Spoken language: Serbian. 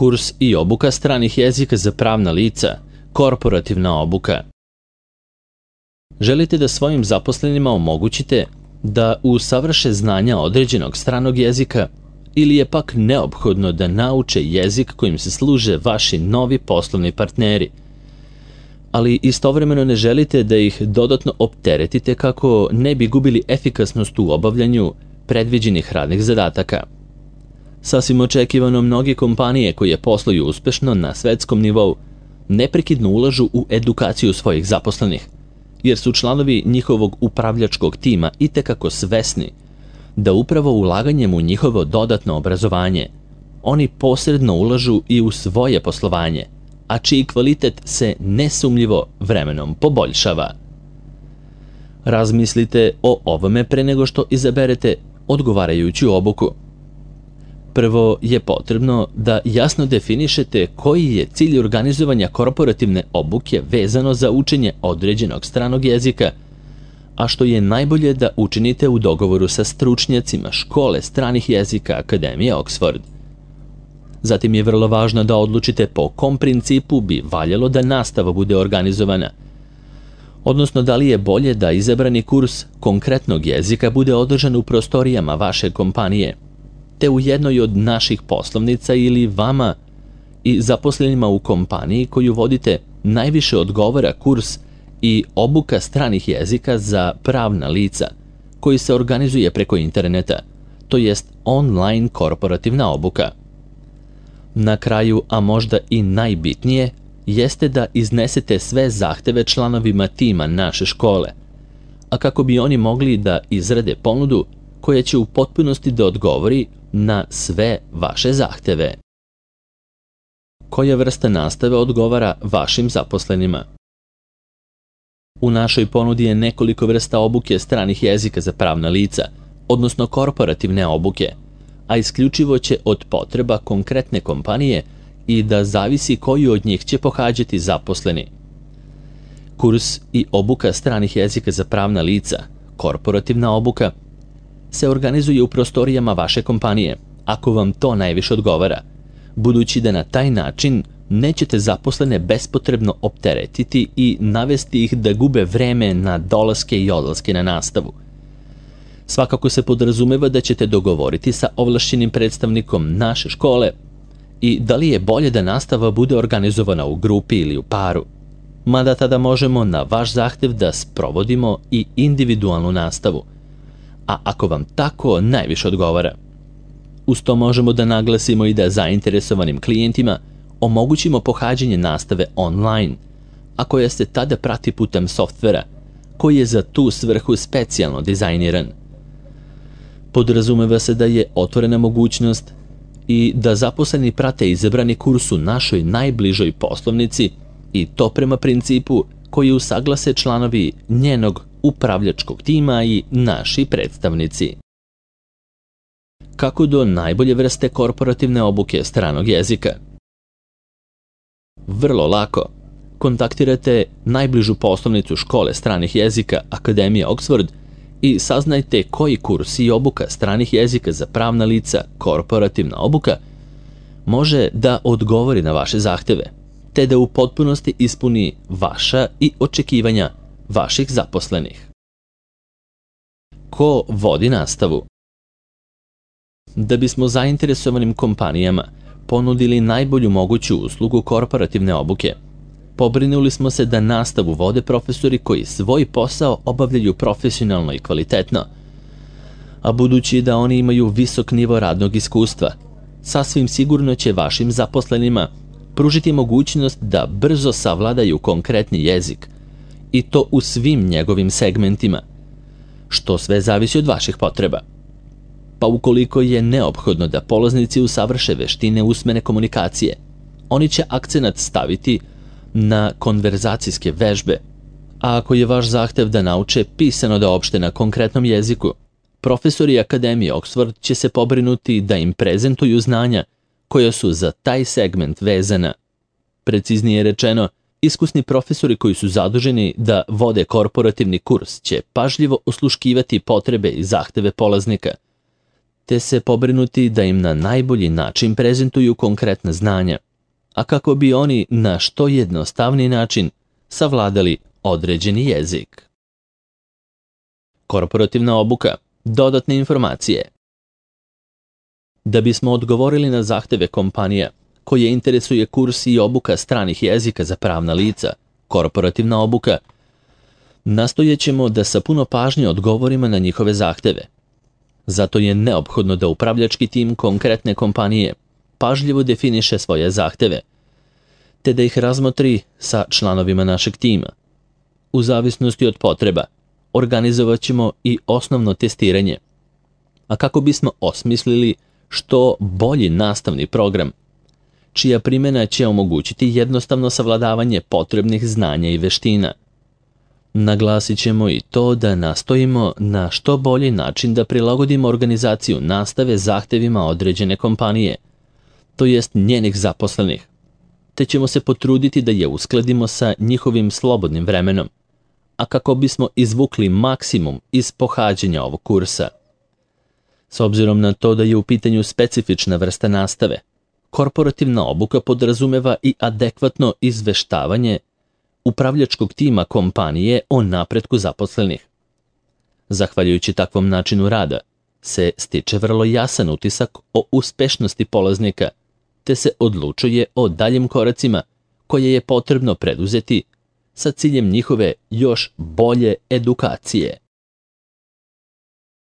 Kurs i obuka stranih jezika za pravna lica, korporativna obuka. Želite da svojim zaposlenima omogućite da usavrše znanja određenog stranog jezika ili je pak neophodno da nauče jezik kojim se služe vaši novi poslovni partneri, ali istovremeno ne želite da ih dodatno opteretite kako ne bi gubili efikasnost u obavljanju predviđenih radnih zadataka. Sasvim očekivano, mnoge kompanije koje posluju uspešno na svetskom nivou neprekidno ulažu u edukaciju svojih zaposlenih, jer su članovi njihovog upravljačkog tima itekako svesni da upravo ulaganjem u njihovo dodatno obrazovanje oni posredno ulažu i u svoje poslovanje, a čiji kvalitet se nesumnjivo vremenom poboljšava. Razmislite o ovome pre nego što izaberete odgovarajuću obuku. Prvo je potrebno da jasno definišete koji je cilj organizovanja korporativne obuke vezano za učenje određenog stranog jezika, a što je najbolje da učinite u dogovoru sa stručnjacima škole stranih jezika Akademije Oxford. Zatim je vrlo važno da odlučite po kom principu bi valjalo da nastava bude organizovana, odnosno da li je bolje da izabrani kurs konkretnog jezika bude održan u prostorijama vaše kompanije, te u jednoj od naših poslovnica ili vama i zaposlenima u kompaniji koju vodite najviše odgovara kurs i obuka stranih jezika za pravna lica koji se organizuje preko interneta, to jest online korporativna obuka. Na kraju, a možda i najbitnije, jeste da iznesete sve zahteve članovima tima naše škole, a kako bi oni mogli da izrade ponudu koja će u potpunosti da odgovori na sve vaše zahteve. Koja vrsta nastave odgovara vašim zaposlenima? U našoj ponudi je nekoliko vrsta obuke stranih jezika za pravna lica, odnosno korporativne obuke, a isključivo će od potreba konkretne kompanije i da zavisi koju od njih će pohađati zaposleni. Kurs i obuka stranih jezika za pravna lica, korporativna obuka, se organizuje u prostorijama vaše kompanije, ako vam to najviše odgovara, budući da na taj način nećete zaposlene bespotrebno opteretiti i navesti ih da gube vreme na dolaske i odlaske na nastavu. Svakako se podrazumeva da ćete dogovoriti sa ovlašćenim predstavnikom naše škole i da li je bolje da nastava bude organizovana u grupi ili u paru, mada tada možemo na vaš zahtev da sprovodimo i individualnu nastavu, a ako vam tako najviše odgovara. Uz to možemo da naglasimo i da zainteresovanim klijentima omogućimo pohađanje nastave online, a koja se tada prati putem softvera koji je za tu svrhu specijalno dizajniran. Podrazumeva se da je otvorena mogućnost i da zaposleni prate izabrani kurs u našoj najbližoj poslovnici i to prema principu koji usaglase članovi njenog upravljačkog tima i naši predstavnici. Kako do najbolje vrste korporativne obuke stranog jezika? Vrlo lako. Kontaktirate najbližu poslovnicu škole stranih jezika Akademije Oxford i saznajte koji kurs i obuka stranih jezika za pravna lica, korporativna obuka, može da odgovori na vaše zahteve, te da u potpunosti ispuni vaša i očekivanja vaših zaposlenih. Ko vodi nastavu? Da bismo zainteresovanim kompanijama ponudili najbolju moguću uslugu korporativne obuke, pobrinuli smo se da nastavu vode profesori koji svoj posao obavljaju profesionalno i kvalitetno, a budući da oni imaju visok nivo radnog iskustva, sasvim sigurno će vašim zaposlenima pružiti mogućnost da brzo savladaju konkretni jezik, i to u svim njegovim segmentima, što sve zavisi od vaših potreba. Pa ukoliko je neophodno da polaznici usavrše veštine usmene komunikacije, oni će akcenat staviti na konverzacijske vežbe, a ako je vaš zahtev da nauče pisano da opšte na konkretnom jeziku, profesori Akademije Oxford će se pobrinuti da im prezentuju znanja koja su za taj segment vezana. Preciznije rečeno, iskusni profesori koji su zaduženi da vode korporativni kurs će pažljivo osluškivati potrebe i zahteve polaznika, te se pobrinuti da im na najbolji način prezentuju konkretna znanja, a kako bi oni na što jednostavniji način savladali određeni jezik. Korporativna obuka, dodatne informacije. Da bismo odgovorili na zahteve kompanija koje interesuje kurs i obuka stranih jezika za pravna lica, korporativna obuka, nastojećemo da sa puno pažnje odgovorimo na njihove zahteve. Zato je neophodno da upravljački tim konkretne kompanije pažljivo definiše svoje zahteve, te da ih razmotri sa članovima našeg tima. U zavisnosti od potreba, organizovat ćemo i osnovno testiranje, a kako bismo osmislili što bolji nastavni program, čija primjena će omogućiti jednostavno savladavanje potrebnih znanja i veština. Naglasit ćemo i to da nastojimo na što bolji način da prilagodimo organizaciju nastave zahtevima određene kompanije, to jest njenih zaposlenih, te ćemo se potruditi da je uskladimo sa njihovim slobodnim vremenom, a kako bismo izvukli maksimum iz pohađanja ovog kursa. S obzirom na to da je u pitanju specifična vrsta nastave, korporativna obuka podrazumeva i adekvatno izveštavanje upravljačkog tima kompanije o napretku zaposlenih. Zahvaljujući takvom načinu rada se stiče vrlo jasan utisak o uspešnosti polaznika, te se odlučuje o daljim koracima koje je potrebno preduzeti sa ciljem njihove još bolje edukacije.